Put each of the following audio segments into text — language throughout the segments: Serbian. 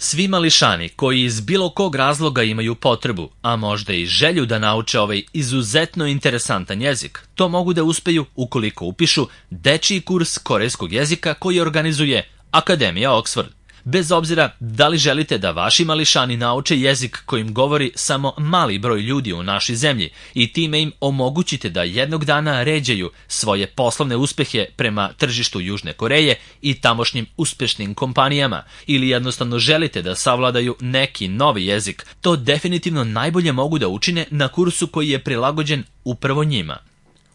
Svi mališani koji iz bilo kog razloga imaju potrebu, a možda i želju da nauče ovaj izuzetno interesantan jezik, to mogu da uspeju ukoliko upišu dečiji kurs korejskog jezika koji organizuje Akademija Oxford. Bez obzira da li želite da vaši mališani nauče jezik kojim govori samo mali broj ljudi u našoj zemlji i time im omogućite da jednog dana ređaju svoje poslovne uspehe prema tržištu Južne Koreje i tamošnjim uspešnim kompanijama, ili jednostavno želite da savladaju neki novi jezik, to definitivno najbolje mogu da učine na kursu koji je prilagođen upravo njima.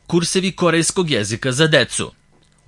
Kursevi korejskog jezika za decu.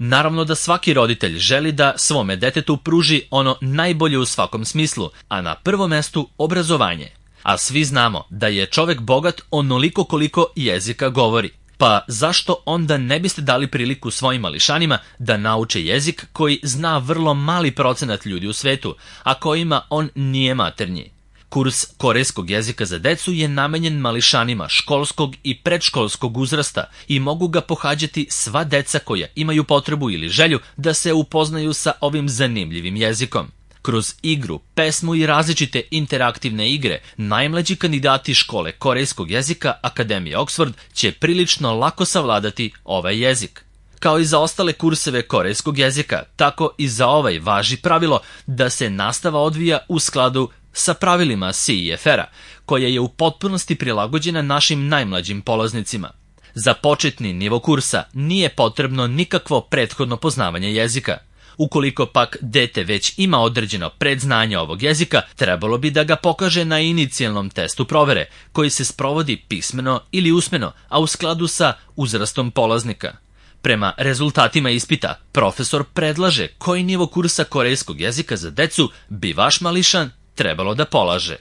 Naravno da svaki roditelj želi da svome detetu pruži ono najbolje u svakom smislu, a na prvom mestu obrazovanje. A svi znamo da je čovek bogat onoliko koliko jezika govori. Pa zašto onda ne biste dali priliku svojim mališanima da nauče jezik koji zna vrlo mali procenat ljudi u svetu, a kojima on nije maternji? Kurs korejskog jezika za decu je namenjen mališanima školskog i predškolskog uzrasta i mogu ga pohađati sva deca koja imaju potrebu ili želju da se upoznaju sa ovim zanimljivim jezikom. Kroz igru, pesmu i različite interaktivne igre, najmlađi kandidati škole korejskog jezika Akademije Oxford će prilično lako savladati ovaj jezik. Kao i za ostale kurseve korejskog jezika, tako i za ovaj važi pravilo da se nastava odvija u skladu sa pravilima CEFR-a, koja je u potpunosti prilagođena našim najmlađim polaznicima. Za početni nivo kursa nije potrebno nikakvo prethodno poznavanje jezika. Ukoliko pak dete već ima određeno predznanje ovog jezika, trebalo bi da ga pokaže na inicijalnom testu provere, koji se sprovodi pismeno ili usmeno, a u skladu sa uzrastom polaznika. Prema rezultatima ispita, profesor predlaže koji nivo kursa korejskog jezika za decu bi vaš mališan trebalo da polaže.